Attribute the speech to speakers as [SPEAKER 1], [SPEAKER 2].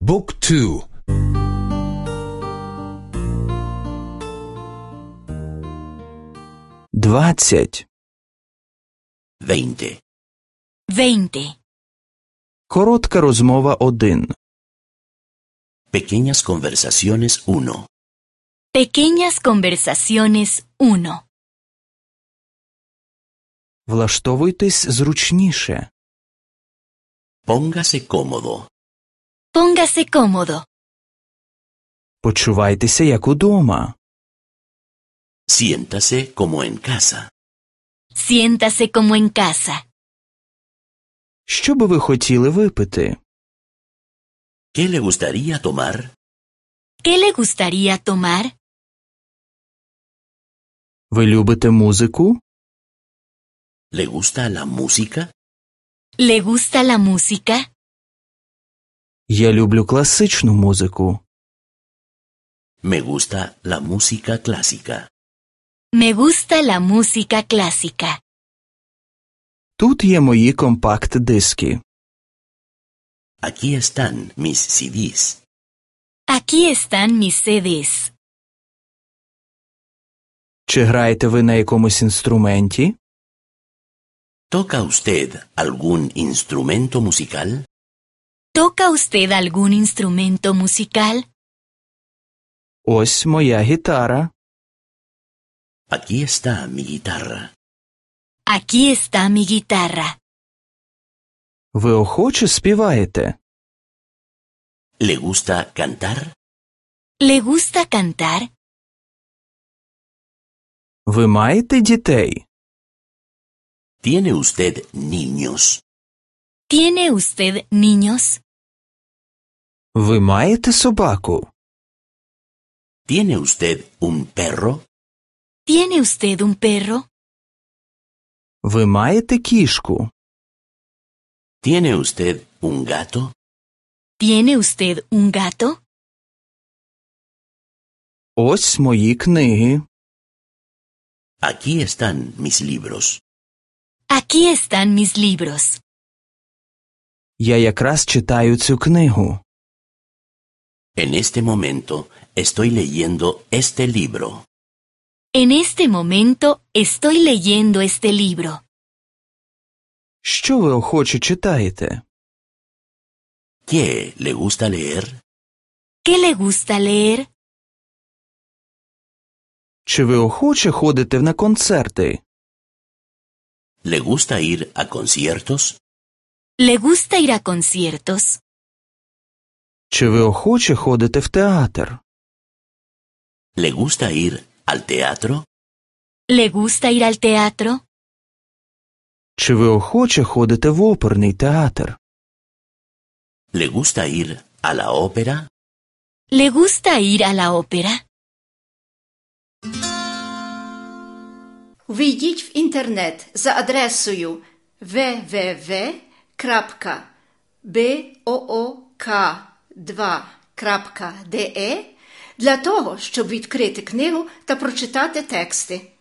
[SPEAKER 1] บุ๊กทู20
[SPEAKER 2] 20.
[SPEAKER 1] Коротка розмова 1.
[SPEAKER 3] Pequeñas conversaciones 1.
[SPEAKER 2] Pequeñas conversaciones 1.
[SPEAKER 1] Влаштовуйтесь зручніше.
[SPEAKER 3] Póngase cómodo.
[SPEAKER 2] Póngase cómodo.
[SPEAKER 1] Почувайтеся як удома.
[SPEAKER 3] Siéntase como en casa.
[SPEAKER 2] Siéntase como en casa.
[SPEAKER 1] Що би ви хотіли випити?
[SPEAKER 3] ¿Qué le gustaría tomar?
[SPEAKER 2] ¿Qué le gustaría tomar?
[SPEAKER 1] Ви любите музику?
[SPEAKER 3] ¿Le gusta la música?
[SPEAKER 2] ¿Le gusta la música?
[SPEAKER 1] Я люблю класичну музику.
[SPEAKER 3] Me gusta la música clásica.
[SPEAKER 2] Me gusta la música clásica.
[SPEAKER 1] Тут є мої компакт-диски.
[SPEAKER 3] Aquí están mis CDs.
[SPEAKER 2] Aquí están mis CDs.
[SPEAKER 1] Чи граєте ви на якомусь інструменті?
[SPEAKER 3] ¿Toca usted algún instrumento musical?
[SPEAKER 2] ¿Toca usted algún instrumento musical?
[SPEAKER 1] Ось моя гітара.
[SPEAKER 3] Aquí está mi guitarra.
[SPEAKER 2] Aquí está mi guitarra.
[SPEAKER 1] Ви охоче співаєте?
[SPEAKER 3] ¿Le gusta cantar?
[SPEAKER 2] ¿Le gusta cantar?
[SPEAKER 1] Ви маєте дітей?
[SPEAKER 3] ¿Tiene usted niños?
[SPEAKER 2] ¿Tiene usted niños?
[SPEAKER 1] Ви маєте собаку?
[SPEAKER 3] ¿Tiene usted un perro?
[SPEAKER 2] ¿Tiene usted un perro?
[SPEAKER 1] Ви маєте кішку?
[SPEAKER 3] ¿Tiene usted un gato?
[SPEAKER 2] ¿Tiene usted un gato?
[SPEAKER 1] Ось мої книги.
[SPEAKER 3] Aquí están mis libros.
[SPEAKER 2] Aquí están mis libros.
[SPEAKER 1] Я якраз читаю цю книгу.
[SPEAKER 3] En este momento estoy leyendo este libro.
[SPEAKER 2] En este momento estoy leyendo este libro.
[SPEAKER 1] Що ви охоче читаєте?
[SPEAKER 3] ¿Qué le gusta leer?
[SPEAKER 2] ¿Qué le gusta leer?
[SPEAKER 1] Чи ви охоче ходите на концерти?
[SPEAKER 3] ¿Le gusta ir a conciertos?
[SPEAKER 2] ¿Le gusta ir a conciertos?
[SPEAKER 1] Чи ви охоче ходите в театр?
[SPEAKER 3] ¿Le gusta ir al teatro?
[SPEAKER 2] ¿Le gusta ir al teatro?
[SPEAKER 1] Чи ви охоче ходите в оперний театр?
[SPEAKER 3] ¿Le gusta ir a la ópera?
[SPEAKER 2] ¿Le gusta ir a la ópera?
[SPEAKER 4] Ввійдіть в інтернет за адресою www.book2.de для того, щоб відкрити книгу та прочитати тексти.